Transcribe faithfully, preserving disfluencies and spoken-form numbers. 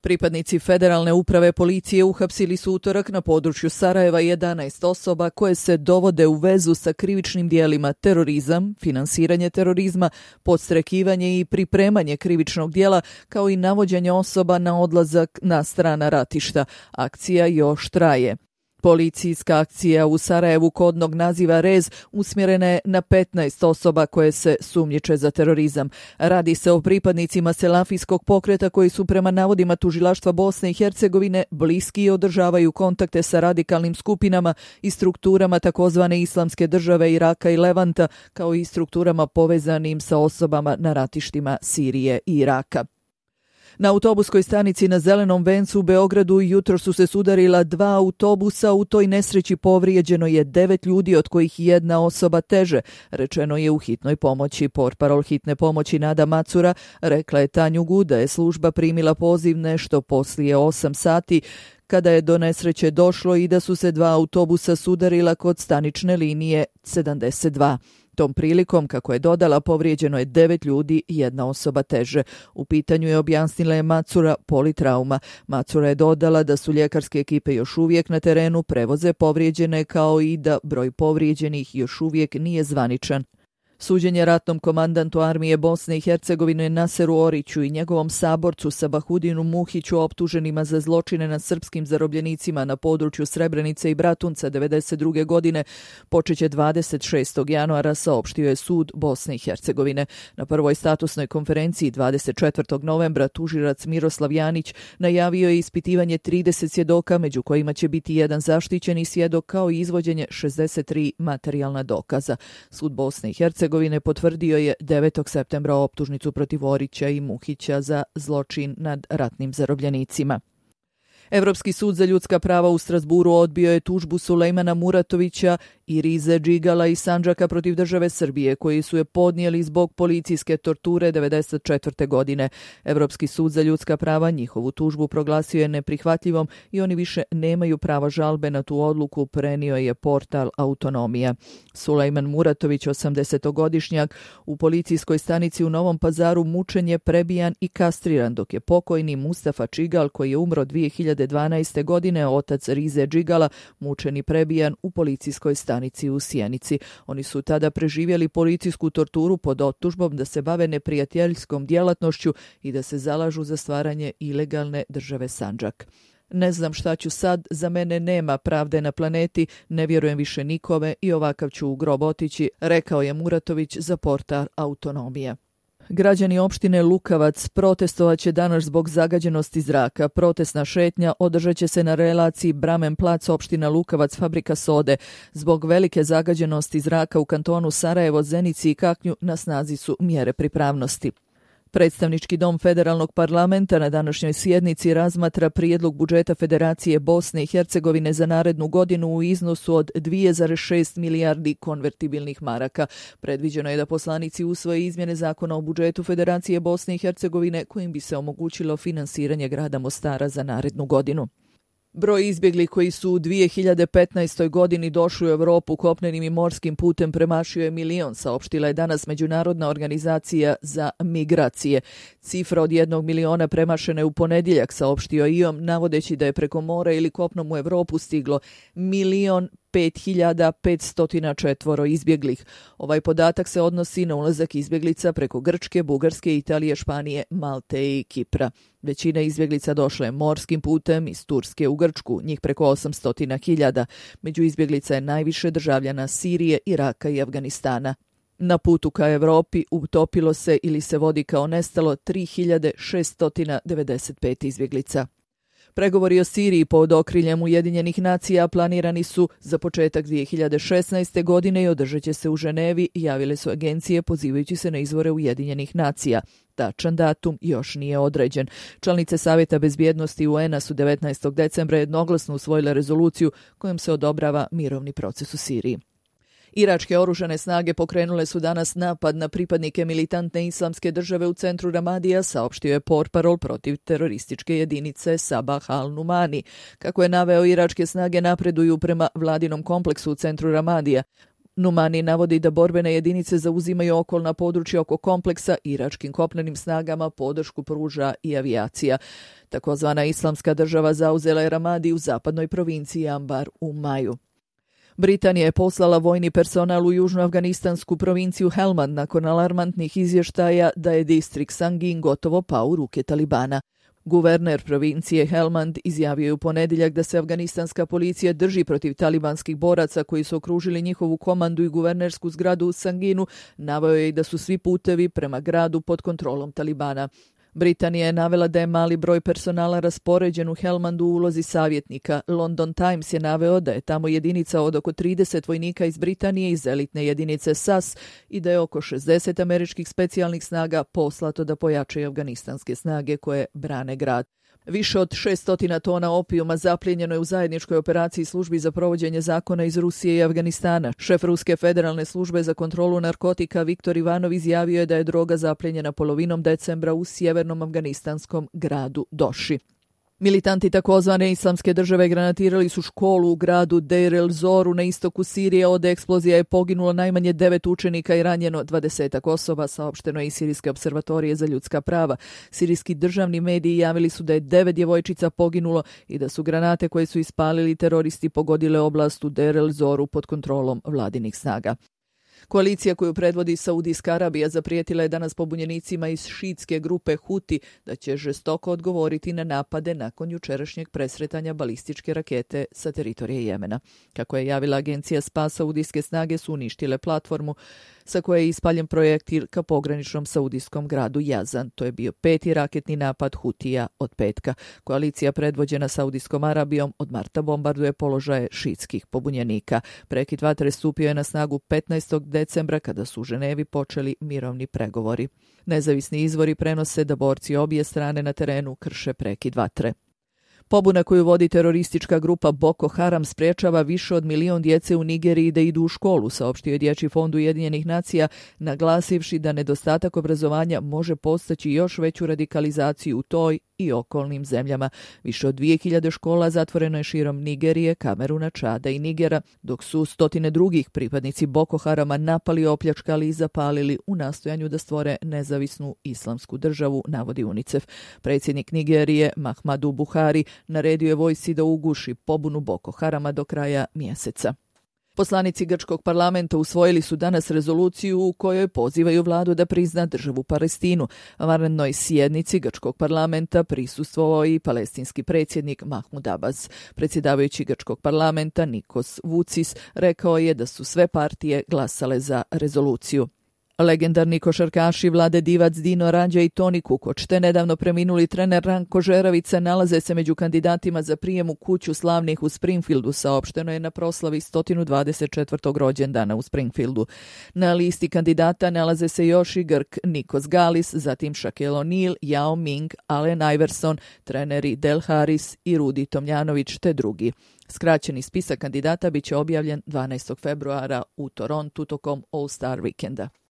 Pripadnici Federalne uprave policije uhapsili su utorak na području Sarajeva jedanaest osoba koje se dovode u vezu sa krivičnim dijelima terorizam, finansiranje terorizma, podstrekivanje i pripremanje krivičnog dijela, kao i navođenje osoba na odlazak na strana ratišta. Akcija još traje. Policijska akcija u Sarajevu kodnog naziva Rez usmjerena je na petnaest osoba koje se sumnjiče za terorizam. Radi se o pripadnicima selafijskog pokreta koji su prema navodima tužilaštva Bosne i Hercegovine bliski i održavaju kontakte sa radikalnim skupinama i strukturama takozvane islamske države Iraka i Levanta, kao i strukturama povezanim sa osobama na ratištima Sirije i Iraka. Na autobuskoj stanici na Zelenom vencu u Beogradu jutro su se sudarila dva autobusa. U toj nesreći povrijeđeno je devet ljudi, od kojih jedna osoba teže, rečeno je u hitnoj pomoći. Portparol hitne pomoći Nada Macura rekla je Tanjugu da je služba primila poziv nešto poslije osam sati, kada je do nesreće došlo i da su se dva autobusa sudarila kod stanične linije sedamdeset dva. Tom prilikom, kako je dodala, povrijeđeno je devet ljudi i jedna osoba teže. U pitanju je, objasnila je Macura, politrauma. Macura je dodala da su ljekarske ekipe još uvijek na terenu, prevoze povrijeđene, kao i da broj povrijeđenih još uvijek nije zvaničan. Suđenje ratnom komandantu armije Bosne i Hercegovine Naseru Oriću i njegovom saborcu Sabahudinu Muhiću, optuženima za zločine nad srpskim zarobljenicima na području Srebrenice i Bratunca devedeset druge godine, počeće dvadeset šestog januara, saopštio je sud Bosne i Hercegovine. Na prvoj statusnoj konferenciji dvadeset četvrtog novembra tužilac Miroslav Janić najavio je ispitivanje trideset svjedoka, među kojima će biti jedan zaštićeni svjedok, kao i izvođenje šezdeset tri materijalna dokaza. Sud Bosne i Hercegovine potvrdio je devetog septembra optužnicu protiv Orića i Muhića za zločin nad ratnim zarobljenicima. Evropski sud za ljudska prava u Strasburu odbio je tužbu Sulejmana Muratovića i Rize Džigala i Sandžaka protiv države Srbije, koji su je podnijeli zbog policijske torture devedeset četvrte godine. Evropski sud za ljudska prava njihovu tužbu proglasio je neprihvatljivom i oni više nemaju prava žalbe na tu odluku, prenio je portal Autonomija. Sulejman Muratović, osamdesetogodišnjak, u policijskoj stanici u Novom Pazaru mučen je, prebijan i kastriran, dok je pokojni Mustafa Džigal, koji je umro dvije hiljade dvanaeste. godine, otac Rize Džigala, mučen i prebijan u policijskoj stanici u Sjenici. Oni su tada preživjeli policijsku torturu pod optužbom da se bave neprijateljskom djelatnošću i da se zalažu za stvaranje ilegalne države Sandžak. Ne znam šta ću sad, za mene nema pravde na planeti, ne vjerujem više nikome i ovakav ću u grob otići, rekao je Muratović za portal Autonomija. Građani opštine Lukavac protestovat će danas zbog zagađenosti zraka. Protestna šetnja održat će se na relaciji Bramen plac, opština Lukavac, fabrika sode. Zbog velike zagađenosti zraka u kantonu Sarajevo, Zenici i Kaknju na snazi su mjere pripravnosti. Predstavnički dom Federalnog parlamenta na današnjoj sjednici razmatra prijedlog budžeta Federacije Bosne i Hercegovine za narednu godinu u iznosu od dvije zarez šest milijardi konvertibilnih maraka. Predviđeno je da poslanici usvoje izmjene zakona o budžetu Federacije Bosne i Hercegovine, kojim bi se omogućilo finansiranje grada Mostara za narednu godinu. Broj izbjeglih koji su u dvije hiljade petnaestoj. godini došli u Europu kopnenim i morskim putem premašio je milion, saopštila je danas Međunarodna organizacija za migracije. Cifra od jednog miliona premašena je u ponedjeljak, saopštio I O M, navodeći da je preko mora ili kopnom u Europu stiglo milion pet hiljada petsto četvoro izbjeglih. Ovaj podatak se odnosi na ulazak izbjeglica preko Grčke, Bugarske, Italije, Španije, Malte i Kipra. Većina izbjeglica došla je morskim putem iz Turske u Grčku, njih preko osamsto hiljada. Među izbjeglica je najviše državljana Sirije, Iraka i Afganistana. Na putu ka Europi utopilo se ili se vodi kao nestalo tri hiljade šeststo devedeset pet izbjeglica. Pregovori o Siriji pod okriljem Ujedinjenih nacija planirani su za početak dvije hiljade šesnaeste. godine i održat će se u Ženevi, javile su agencije pozivajući se na izvore Ujedinjenih nacija. Tačan datum još nije određen. Članice Savjeta bezbjednosti U N-a su devetnaestog decembra jednoglasno usvojile rezoluciju kojom se odobrava mirovni proces u Siriji. Iračke oružane snage pokrenule su danas napad na pripadnike militantne islamske države u centru Ramadija, saopštio je portparol protiv terorističke jedinice Sabah al-Numani. Kako je naveo, iračke snage napreduju prema vladinom kompleksu u centru Ramadija. Numani navodi da borbene jedinice zauzimaju okolna područja oko kompleksa, iračkim kopnenim snagama podršku pruža i avijacija. Takozvana Islamska država zauzela je Ramadi u zapadnoj provinciji Ambar u maju. Britanija je poslala vojni personal u južnoafganistansku provinciju Helmand nakon alarmantnih izvještaja da je distrikt Sangin gotovo pao u ruke Talibana. Guverner provincije Helmand izjavio je u ponedjeljak da se afganistanska policija drži protiv talibanskih boraca koji su okružili njihovu komandu i guvernersku zgradu u Sanginu, naveo je i da su svi putevi prema gradu pod kontrolom Talibana. Britanija je navela da je mali broj personala raspoređen u Helmandu u ulozi savjetnika. London Times je naveo da je tamo jedinica od oko trideset vojnika iz Britanije iz elitne jedinice S A S i da je oko šezdeset američkih specijalnih snaga poslato da pojačaju afganistanske snage koje brane grad. Više od šessto tona opijuma zaplijenjeno je u zajedničkoj operaciji službi za provođenje zakona iz Rusije i Afganistana. Šef Ruske federalne službe za kontrolu narkotika Viktor Ivanov izjavio je da je droga zaplijenjena polovinom decembra u sjevernom afganistanskom gradu Doši. Militanti takozvane Islamske države granatirali su školu u gradu Deir el-Zoru na istoku Sirije. Od eksplozija je poginulo najmanje devet učenika i ranjeno dvadesetak osoba, saopšteno je iz Sirijske observatorije za ljudska prava. Sirijski državni mediji javili su da je devet djevojčica poginulo i da su granate koje su ispalili teroristi pogodile oblast u Deir el-Zoru pod kontrolom vladinih snaga. Koalicija koju predvodi Saudijska Arabija zaprijetila je danas pobunjenicima iz šiitske grupe Huti da će žestoko odgovoriti na napade nakon jučerašnjeg presretanja balističke rakete sa teritorije Jemena. Kako je javila agencija SPA, saudijske snage su uništile platformu sa koje je ispaljen projektil ka pograničnom saudijskom gradu Jazan. To je bio peti raketni napad Hutija od petka. Koalicija predvođena Saudijskom Arabijom od marta bombarduje položaje šiitskih pobunjenika. Prekid vatre stupio je na snagu petnaestog decembra kada su u Ženevi počeli mirovni pregovori. Nezavisni izvori prenose da borci obje strane na terenu krše prekid vatre. Pobuna koju vodi teroristička grupa Boko Haram sprečava više od milion djece u Nigeriji da idu u školu, saopštio je Dječji fond Ujedinjenih nacija, naglasivši da nedostatak obrazovanja može postaći još veću radikalizaciju u toj i okolnim zemljama. Više od dvije hiljade škola zatvoreno je širom Nigerije, Kameruna, Čada i Nigera, dok su stotine drugih pripadnici Boko Harama napali, opljačkali i zapalili u nastojanju da stvore nezavisnu islamsku državu, navodi UNICEF. Predsjednik Nigerije, Muhammadu Buhari, naredio je vojsci da uguši pobunu Boko Harama do kraja mjeseca. Poslanici grčkog parlamenta usvojili su danas rezoluciju u kojoj pozivaju vladu da prizna državu Palestinu. Vanrednoj sjednici grčkog parlamenta prisustvovao i palestinski predsjednik Mahmud Abbas. Predsjedavajući grčkog parlamenta Nikos Vucis rekao je da su sve partije glasale za rezoluciju. Legendarni košarkaši Vlade Divac, Dino Rađa i Toni Kukoč, te nedavno preminuli trener Ranko Žeravica nalaze se među kandidatima za prijem u kuću slavnih u Springfieldu, saopšteno je na proslavi sto dvadeset četvrtog rođendana u Springfieldu. Na listi kandidata nalaze se još i Grk Nikos Galis, zatim Shaquille O'Neal, Yao Ming, Allen Iverson, treneri Del Harris i Rudi Tomljanović te drugi. Skraćeni spisak kandidata biće objavljen dvanaestog februara u Torontu tokom All-Star vikenda.